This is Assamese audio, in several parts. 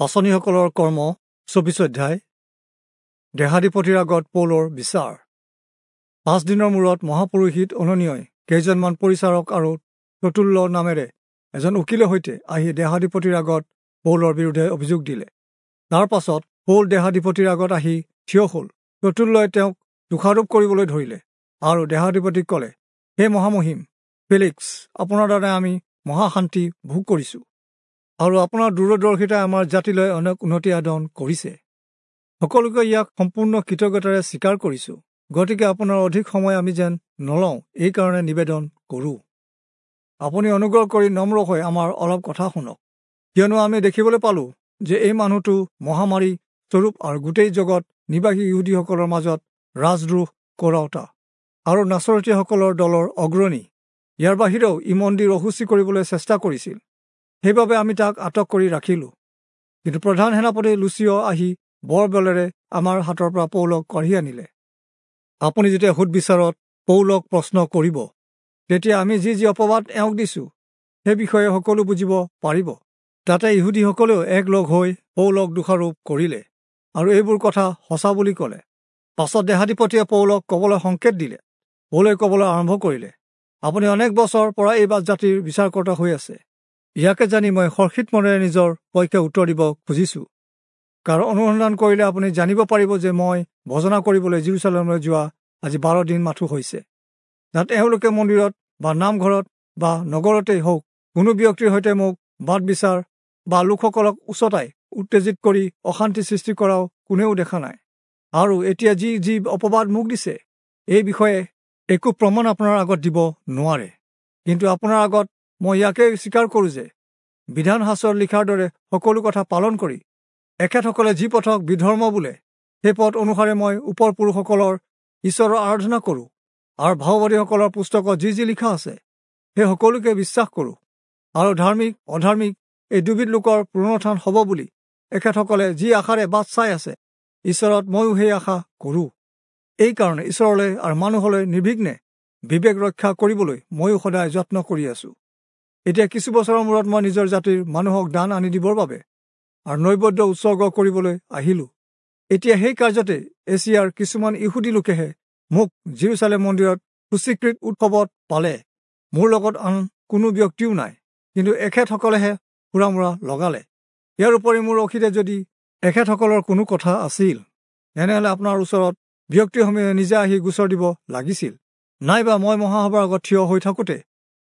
পাঁচনিসকলৰ কৰ্ম 24 অধ্যায়। দেহাধিপতিৰ আগত পৌলৰ বিচাৰ। 5 দিনৰ মূৰত মহাপুৰোহিত অননিয়ই কেইজনমান পৰিচাৰক আৰু ততুল্য নামেৰে এজন উকিলৰ সৈতে আহি দেহাধিপতিৰ আগত পৌলৰ বিৰুদ্ধে অভিযোগ দিলে। তাৰ পাছত পৌল দেহাধিপতিৰ আগত আহি থিয় হ'ল। ততুল্যই তেওঁক দোষাৰোপ কৰিবলৈ ধৰিলে আৰু দেহাধিপতিক ক'লে, হে মহামহিম ফেলিক্স, আপোনাৰ দ্বাৰা আমি মহাশান্তি ভোগ কৰিছোঁ আৰু আপোনাৰ দূৰদৰ্শিতাই আমাৰ জাতিলৈ অনেক উন্নতি সাধন কৰিছে। সকলোকে ইয়াক সম্পূৰ্ণ কৃতজ্ঞতাৰে স্বীকাৰ কৰিছোঁ। গতিকে আপোনাৰ অধিক সময় আমি যেন নলওঁ, এইকাৰণে নিবেদন কৰোঁ। আপুনি অনুগ্ৰহ কৰি নম্ৰ হৈ আমাৰ অলপ কথা শুনক, কিয়নো আমি দেখিবলৈ পালোঁ যে এই মানুহটো মহামাৰী স্বৰূপ আৰু গোটেই জগত নিবাসী ইহুদীসকলৰ মাজত ৰাজদ্ৰোহ কৰাওঁতা আৰু নাচৰতীয়াসকলৰ দলৰ অগ্ৰণী। ইয়াৰ বাহিৰেও ই মন্দিৰ অশুচি কৰিবলৈ চেষ্টা কৰিছিল, সেইবাবে আমি তাক আটক কৰি ৰাখিলোঁ। কিন্তু প্ৰধান সেনাপতি লুচিয় আহি বৰ বলেৰে আমাৰ হাতৰ পৰা পৌলক কাঢ়ি আনিলে। আপুনি যেতিয়া সোধবিচাৰত পৌলক প্ৰশ্ন কৰিব, তেতিয়া আমি যি যি অপবাদ এওঁক দিছোঁ সেই বিষয়ে সকলো বুজিব পাৰিব। তাতে ইহুদীসকলেও একলগ হৈ পৌলক দোষাৰোপ কৰিলে আৰু এইবোৰ কথা সঁচা বুলি ক'লে। পাছত দেহাধিপতিয়ে পৌলক ক'বলৈ সংকেত দিলে। পৌলে ক'বলৈ আৰম্ভ কৰিলে, আপুনি অনেক বছৰৰ পৰা এই জাতিৰ বিচাৰকৰ্তা হৈ আছে। ইয়াকে জানি মই হৰ্ষিত মনেৰে নিজৰ পক্ষে উত্তৰ দিব খুজিছোঁ। কাৰণ অনুসন্ধান কৰিলে আপুনি জানিব পাৰিব যে মই ভজনা কৰিবলৈ জেৰুচালেমলৈ যোৱা আজি 12 দিন মাথো হৈছে। তাত এওঁলোকে মন্দিৰত বা নামঘৰত বা নগৰতেই হওক কোনো ব্যক্তিৰ সৈতে মোক বাদ বিচাৰ বা লোকসকলক উচতাই উত্তেজিত কৰি অশান্তি সৃষ্টি কৰাও কোনেও দেখা নাই। আৰু এতিয়া যি যি অপবাদ মোক দিছে এই বিষয়ে একো প্ৰমাণ আপোনাৰ আগত দিব নোৱাৰে। কিন্তু আপোনাৰ আগত মই ইয়াকে স্বীকাৰ কৰোঁ যে বিধান শাস্ত্ৰত লিখাৰ দৰে সকলো কথা পালন কৰি এখেতসকলে যি পথক বিধৰ্ম বোলে সেই পথ অনুসাৰে মই ওপৰ পুৰুষসকলৰ ঈশ্বৰৰ আৰাধনা কৰোঁ আৰু ভাওবাদীসকলৰ পুস্তকত যি যি লিখা আছে সেই সকলোকে বিশ্বাস কৰোঁ। আৰু ধাৰ্মিক অধাৰ্মিক এই দুবিধ লোকৰ পুনৰুত্থান হ'ব বুলি এখেতসকলে যি আশাৰে বাট চাই আছে, ঈশ্বৰত ময়ো সেই আশা কৰোঁ। এইকাৰণে ঈশ্বৰলৈ আৰু মানুহলৈ নিৰ্বিঘ্নে বিবেক ৰক্ষা কৰিবলৈ ময়ো সদায় যত্ন কৰি আছোঁ। এতিয়া কিছু বছৰৰ মূৰত মই নিজৰ জাতিৰ মানুহক দান আনি দিবৰ বাবে আৰু নৈবেদ্য উৎসৰ্গ কৰিবলৈ আহিলোঁ। এতিয়া সেই কাৰ্যতে এছিয়াৰ কিছুমান ইহুদী লোকেহে মোক জেৰুচালেম মন্দিৰত সূচীকৃত উৎসৱত পালে। মোৰ লগত আন কোনো ব্যক্তিও নাই, কিন্তু এখেতসকলেহে হুৰামুৰা লগালে। ইয়াৰ উপৰি মোৰ অসীতে যদি এখেতসকলৰ কোনো কথা আছিল, তেনেহ'লে আপোনাৰ ওচৰত ব্যক্তিসমূহে নিজে আহি গোচৰ দিব লাগিছিল। নাইবা মই মহাসভাৰ আগত থিয় হৈ থাকোঁতে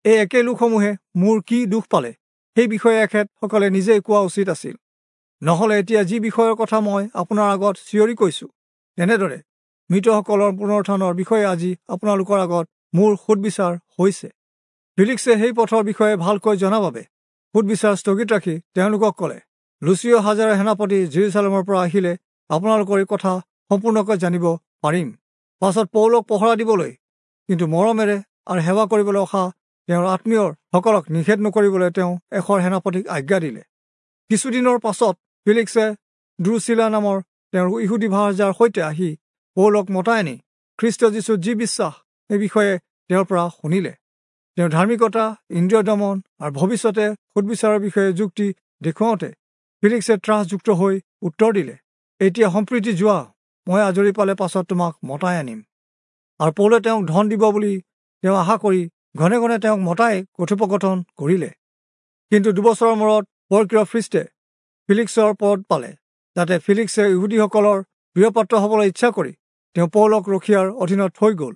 এই একে লোকসমূহে মোৰ কি দুখ পালে সেই বিষয়ে এখেতসকলে নিজেই কোৱা উচিত আছিল। নহ'লে এতিয়া যি বিষয়ৰ কথা মই আপোনাৰ আগত চিঞৰি কৈছোঁ, তেনেদৰে মৃতসকলৰ পুনৰুত্থানৰ বিষয়ে আজি আপোনালোকৰ আগত মোৰ সোধবিচাৰ হৈছে। ফিলিক্সে সেই পথৰ বিষয়ে ভালকৈ জনা বাবে সোধবিচাৰ স্থগিত ৰাখি তেওঁলোকক ক'লে, লুচিয় হাজাৰৰ সেনাপতি জেৰুচালেমৰ পৰা আহিলে আপোনালোকৰ এই কথা সম্পূৰ্ণকৈ জানিব পাৰিম। পাছত পৌলক পহৰা দিবলৈ, কিন্তু মৰমেৰে আৰু সেৱা কৰিবলৈ অহা তেওঁৰ আত্মীয়ৰ সকলক নিষেধ নকৰিবলৈ তেওঁ এশৰ সেনাপতিক আজ্ঞা দিলে। কিছুদিনৰ পাছত ফিলিক্সে দ্ৰুচিলা নামৰ তেওঁৰ ইহুদী ভাৰ্যাৰ সৈতে আহি পৌলক মতাই আনি খ্ৰীষ্ট যীশুত যি বিশ্বাস সেই বিষয়ে তেওঁৰ পৰা শুনিলে। তেওঁৰ ধাৰ্মিকতা, ইন্দ্ৰিয় দমন আৰু ভৱিষ্যতে সোধবিচাৰৰ বিষয়ে যুক্তি দেখুৱাওঁতে ফিলিক্সে ত্ৰাসযুক্ত হৈ উত্তৰ দিলে, এতিয়া সম্প্ৰীতি যোৱা, মই আজৰি পালে পাছত তোমাক মতাই আনিম। আৰু পৌলে তেওঁক ধন দিব বুলি তেওঁ আশা কৰি ঘনে ঘনে তেওঁক মতাই কথোপকথন কৰিলে। কিন্তু 2 বছৰৰ মূৰত পৰ্কিয় ফিষ্টে ফিলিক্সৰ পদ পালে। তাতে ফিলিক্সে ইহুদীসকলৰ প্ৰিয়পাত্ৰ হ'বলৈ ইচ্ছা কৰি তেওঁ পৌলক ৰখীয়াৰ অধীনত থৈ গ'ল।